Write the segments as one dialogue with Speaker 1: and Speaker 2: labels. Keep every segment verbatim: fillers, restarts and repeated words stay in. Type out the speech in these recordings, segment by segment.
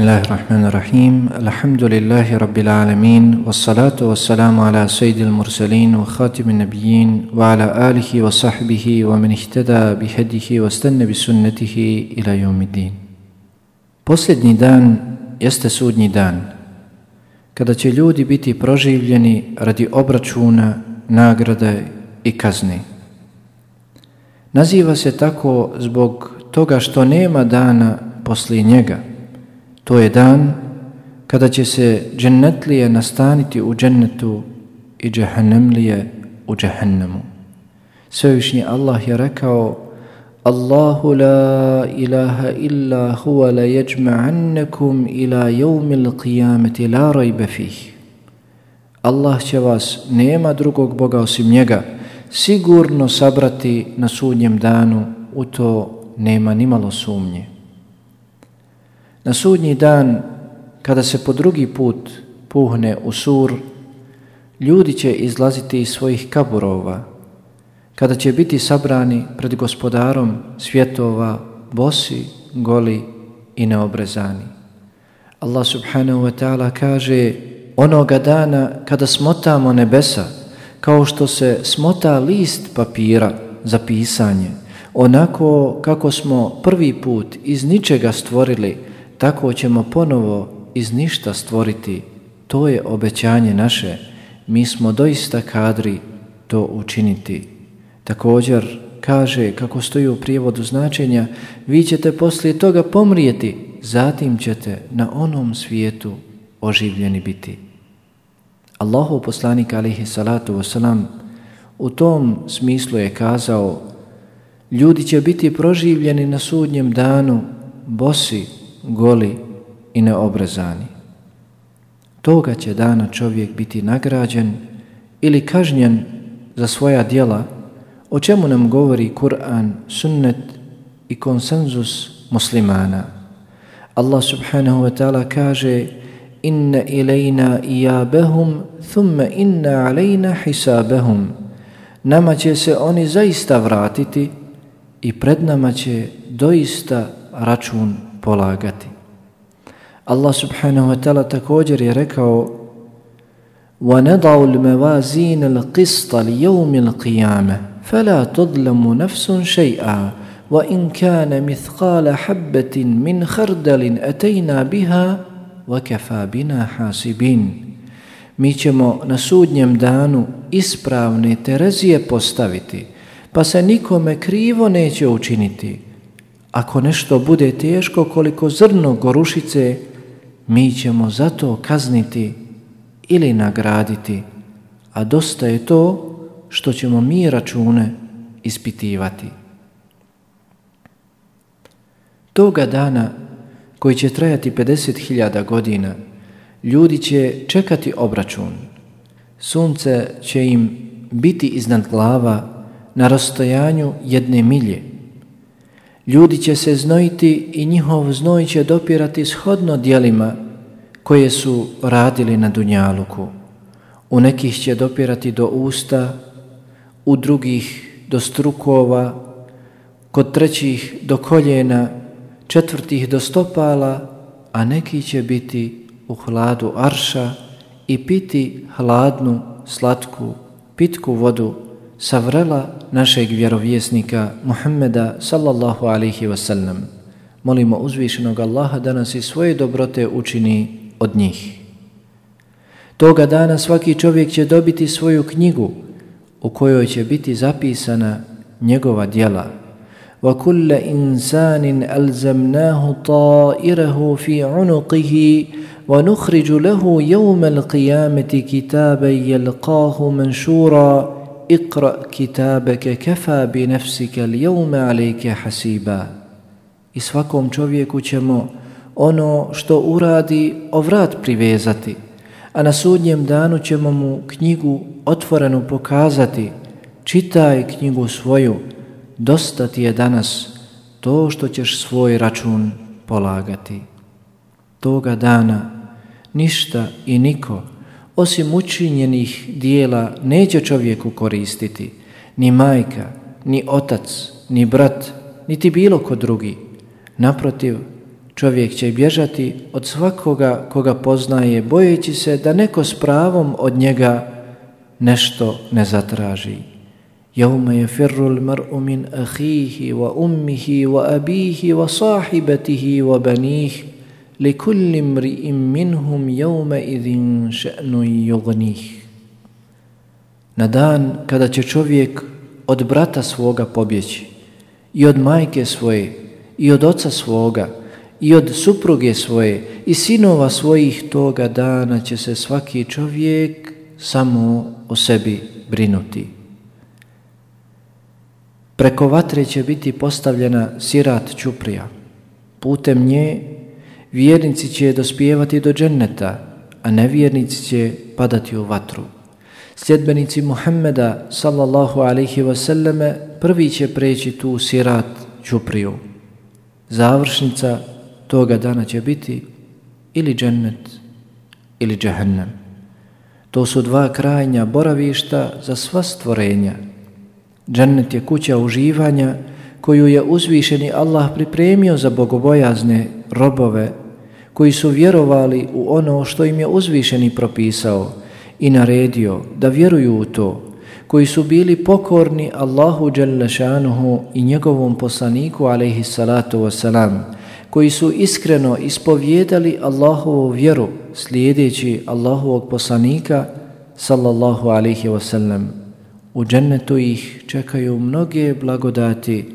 Speaker 1: Bismillahirrahmanirrahim. Alhamdulillahi rabbil alamin. Wassalatu wassalamu ala sayyidil mursalin wa khatimin nabiyyin wa ala alihi wa sahbihi wa man ihtada bihadihi wa stanna bi sunnatihi ila yawmiddin. Posljednji dan jeste sudnji dan, kada će ljudi biti proživljeni radi obračuna, nagrade i kazni. Naziva se tako zbog toga što nema dana poslije njega. To je dan kada će se džennetlije nastaniti u džennetu i džehennemlije u džehennemu. Svevišnji Allah je rekao: Allahu la ilaha illa huwa la yajma'annakum ila yawmil qiyamati la rayba fih. Allah će vas, nema drugog Boga osim njega, sigurno sabrati na sudnjem danu, u to nema nimalo sumnje. Na sudnji dan, kada se po drugi put puhne u sur, ljudi će izlaziti iz svojih kaburova, kada će biti sabrani pred gospodarom svjetova, bosi, goli i neobrezani. Allah subhanahu wa ta'ala kaže: onoga dana kada smotamo nebesa, kao što se smota list papira za pisanje, onako kako smo prvi put iz ničega stvorili, tako ćemo ponovo iz ništa stvoriti. To je obećanje naše. Mi smo doista kadri to učiniti. Također kaže, kako stoji u prijevodu značenja, vi ćete poslije toga pomrijeti, zatim ćete na onom svijetu oživljeni biti. Allahov poslanik alejhi salatu vesselam u tom smislu je kazao: ljudi će biti proživljeni na sudnjem danu bosi, goli i neobrezani. Toga će dana čovjek biti nagrađen ili kažnjen za svoja djela, o čemu nam govori Kur'an, sunnet i konsenzus muslimana. Allah subhanahu wa ta'ala kaže: inna ilajna ijabahum thumma inna alejna hisabahum. Nama će se oni zaista vratiti i pred nama će doista račun polagati. Allah subhanahu wa ta'ala također je rekao: وَنَضَعُ الْمَوَازِينَ الْقِسْطَ لِيَوْمِ الْقِيَامَةِ فَلَا تُظْلَمُ نَفْسٌ شَيْئًا وَإِنْ كَانَ مِثْقَالَ حَبَّةٍ مِنْ خَرْدَلٍ أَتَيْنَا بِهَا وَكَفَى بِنَا حَاسِبِينَ. Mi ćemo na sudnjem danu ispravne terezije postaviti, pa se nikome krivo neće učiniti. Ako nešto bude teško koliko zrno gorušice, mi ćemo zato kazniti ili nagraditi, a dosta je to što ćemo mi račune ispitivati. Toga dana, koji će trajati pedeset hiljada godina, ljudi će čekati obračun. Sunce će im biti iznad glava na rastojanju jedne milje. Ljudi će se znojiti i njihov znoj će dopirati shodno djelima koje su radili na dunjaluku. U nekih će dopirati do usta, u drugih do strukova, kod trećih do koljena, četvrtih do stopala, a neki će biti u hladu arša i piti hladnu, slatku, pitku vodu sa vrela našeg vjerovjesnika Muhammeda sallallahu alaihi wasallam. Molimo uzvišenog Allaha da nas i svoje dobrote učini od njih. Toga dana svaki čovjek će dobiti svoju knjigu u kojoj će biti zapisana njegova djela. وَكُلَّ إِنسَانٍ أَلْزَمْنَاهُ طَائِرَهُ فِي عُنُقِهِ وَنُخْرِجُ لَهُ يَوْمَ الْقِيَامَةِ كِتَابًا يَلْقَاهُ مَنْشُورًا اقرأ كتابك كفى بنفسك اليوم عليك حسيبا. I svakom čovjeku ćemo ono što uradi o vrat privezati, a na sudnjem danu ćemo mu knjigu otvorenu pokazati: čitaj knjigu svoju, dosta ti je danas to što ćeš svoj račun polagati. Toga dana ništa i niko osim učinjenih dijela neće čovjeku koristiti, ni majka, ni otac, ni brat, niti bilo ko drugi. Naprotiv, Čovjek će bježati od svakoga koga poznaje, bojeći se da neko s pravom od njega nešto ne zatraži. Jevme yefirru l-mar'u min ahihi wa ummihi wa abihi wa sahibatihi wa banih li kulli mri'in minhum jevme idhin še'nu yugnih. Na dan kada će čovjek od brata svoga pobjeći, i od majke svoje, i od oca svoga, i od supruge svoje, i sinova svojih, toga dana će se svaki čovjek samo o sebi brinuti. Preko vatre će biti postavljena sirat ćuprija. Putem nje vjernici će dospijevati do dženneta, a nevjernici će padati u vatru. Sljedbenici Muhammeda sallallahu alaihi wasallame prvi će preći tu sirat ćupriju. Završnica toga dana će biti ili džennet ili džehennem. To su dva krajnja boravišta za sva stvorenja. Džennet je kuća uživanja koju je uzvišeni Allah pripremio za bogobojazne robove koji su vjerovali u ono što im je uzvišeni propisao i naredio da vjeruju u to, koji su bili pokorni Allahu dželle šanuhu i njegovom poslaniku alejhi salatu vesselam, koji su iskreno ispovjedali Allahovu vjeru slijedeći Allahovog poslanika sallallahu alejhi wasallam. U džennetu ih čekaju mnoge blagodati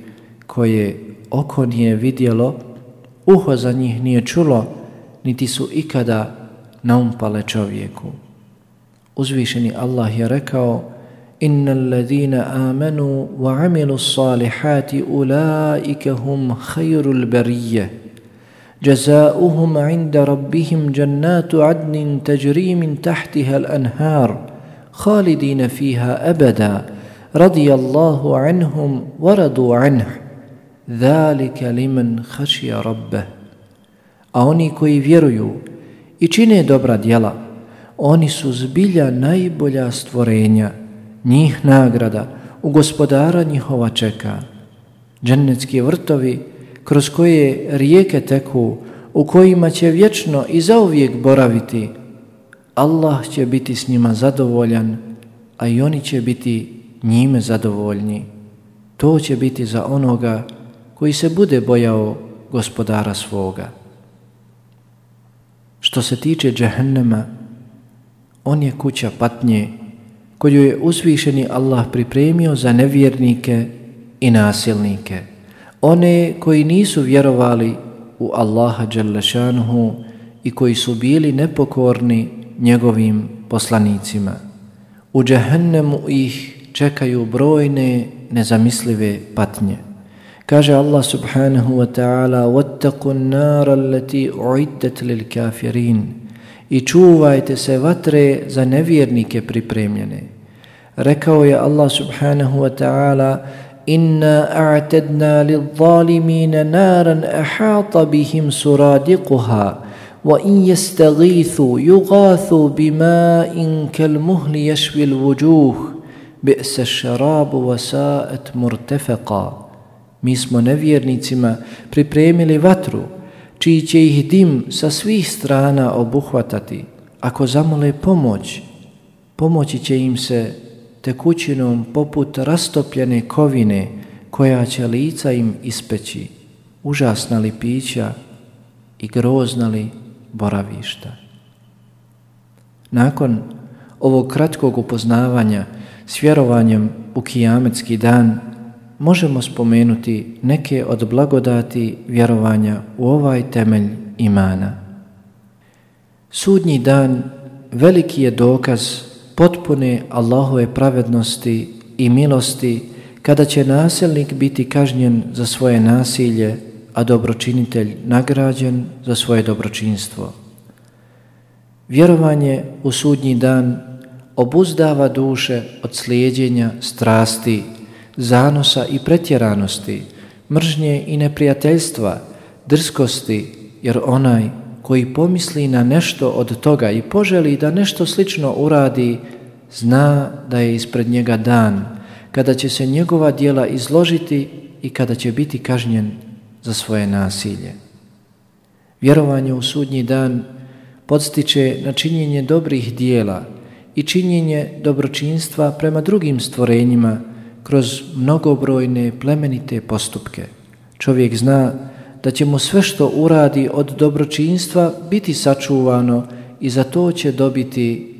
Speaker 1: koje oko nije vidjelo, uho za njih nije čulo, niti su ikada naumpale čovjeku. Uzvišeni Allah je rekao: Innal ladhina amanu wa amilu salihati ulaika hum khayrul bariyah jazauhum 'inda rabbihim jannatu 'adnin tajri min tahtiha al-anhar khalidina fiha abada radiyallahu 'anhum wa radu 'anhu dhalika liman khashiya rabbah. A oni koji vjeruju i čine dobra djela, oni su zbilja najbolja stvorenja, njih nagrada u gospodara njihova čeka. Džennetski vrtovi kroz koje rijeke teku, u kojima će vječno i zauvijek boraviti. Allah će biti s njima zadovoljan, a i oni će biti njime zadovoljni. To će biti za onoga koji se bude bojao gospodara svoga. Što se tiče džehennema, on je kuća patnje koju je uzvišeni Allah pripremio za nevjernike i nasilnike, one koji nisu vjerovali u Allaha dželle šanuhu i koji su bili nepokorni njegovim poslanicima. U džehennemu ih čekaju brojne nezamislive patnje. Kaže Allah subhanahu wa ta'ala: وَاتَّقُوا النَّارَ الَّتِي أُعِدَّتْ لِلْكَافِرِينَ. I čuvajte se vatre za nevjernike pripremljene. Rekao je Allah subhanahu wa ta'ala: Inna a'tadna lil-zalimina naran ahata bihim suradiquha wa in yastaghithu yughathu bima'in kal-muhli yashwi al-wujuh bi'sa ash-sharabu wa sa'at murtafaqa. Mi smo nevjernicima pripremili vatru čiji će ih dim sa svih strana obuhvatati. Ako zamole pomoć, pomoći će im se tekućinom poput rastopljene kovine koja će lica im ispeći, užasna li pića i grozna li boravišta. Nakon ovog kratkog upoznavanja s vjerovanjem u kijametski dan, možemo spomenuti neke od blagodati vjerovanja u ovaj temelj imana. Sudnji dan veliki je dokaz potpune Allahove pravednosti i milosti, kada će nasilnik biti kažnjen za svoje nasilje, a dobročinitelj nagrađen za svoje dobročinstvo. Vjerovanje u sudnji dan obuzdava duše od slijeđenja strasti, zanosa i pretjeranosti, mržnje i neprijateljstva, drskosti, jer onaj koji pomisli na nešto od toga i poželi da nešto slično uradi, zna da je ispred njega dan kada će se njegova djela izložiti i kada će biti kažnjen za svoje nasilje. Vjerovanje u sudnji dan podstiče na činjenje dobrih dijela i činjenje dobročinstva prema drugim stvorenjima kroz mnogobrojne plemenite postupke. Čovjek zna da će mu sve što uradi od dobročinstva biti sačuvano i za to će dobiti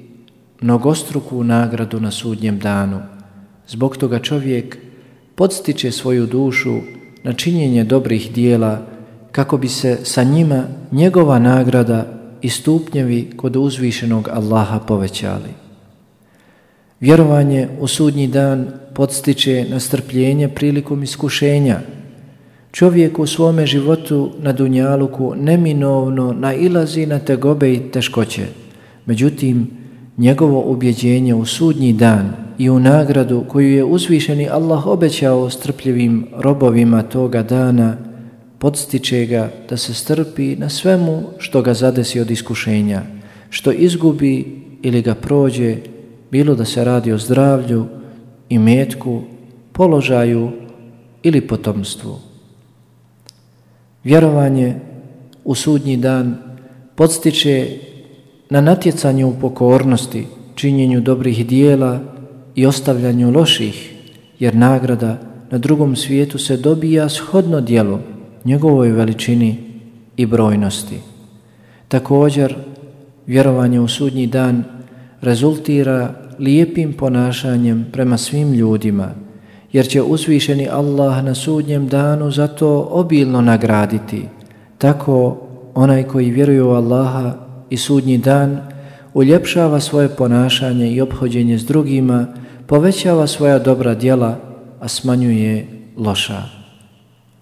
Speaker 1: mnogostruku nagradu na sudnjem danu. Zbog toga čovjek podstiče svoju dušu na činjenje dobrih dijela kako bi se sa njima njegova nagrada i stupnjevi kod uzvišenog Allaha povećali. Vjerovanje u sudnji dan podstiče na strpljenje prilikom iskušenja. Čovjek u svome životu na dunjaluku neminovno nailazi na tegobe i teškoće. Međutim, njegovo ubjeđenje u sudnji dan i u nagradu koju je uzvišeni Allah obećao strpljivim robovima toga dana podstiče ga da se strpi na svemu što ga zadesi od iskušenja, što izgubi ili ga prođe, bilo da se radi o zdravlju, imetku, položaju ili potomstvu. Vjerovanje u sudnji dan podstiče na natjecanje u pokornosti, činjenju dobrih dijela i ostavljanju loših, jer nagrada na drugom svijetu se dobija shodno djelu, njegovoj veličini i brojnosti. Također, vjerovanje u sudnji dan rezultira lijepim ponašanjem prema svim ljudima, jer će uzvišeni Allah na sudnjem danu za to obilno nagraditi. Tako onaj koji vjeruje u Allaha i sudnji dan uljepšava svoje ponašanje i ophođenje s drugima, povećava svoja dobra djela, a smanjuje loša.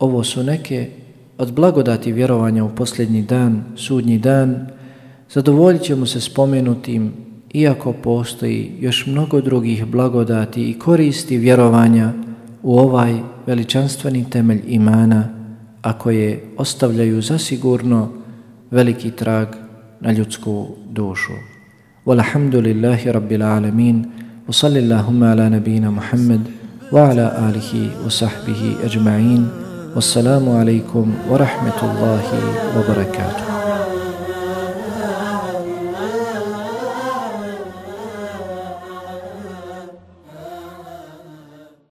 Speaker 1: Ovo su neke od blagodati vjerovanja u posljednji dan, sudnji dan. Zadovoljit ćemo se spomenutim, iako postoji još mnogo drugih blagodati i koristi vjerovanja u ovaj veličanstveni temelj imana, a koje ostavljaju zasigurno veliki trag na ljudsku dušu. Walhamdulillahi rabbil alamin, wa sallillahumma ala nabina Muhammad wa ala alihi wa sahbihi ajma'in. Wassalamu alaikum wa rahmetullahi wa barakatuh.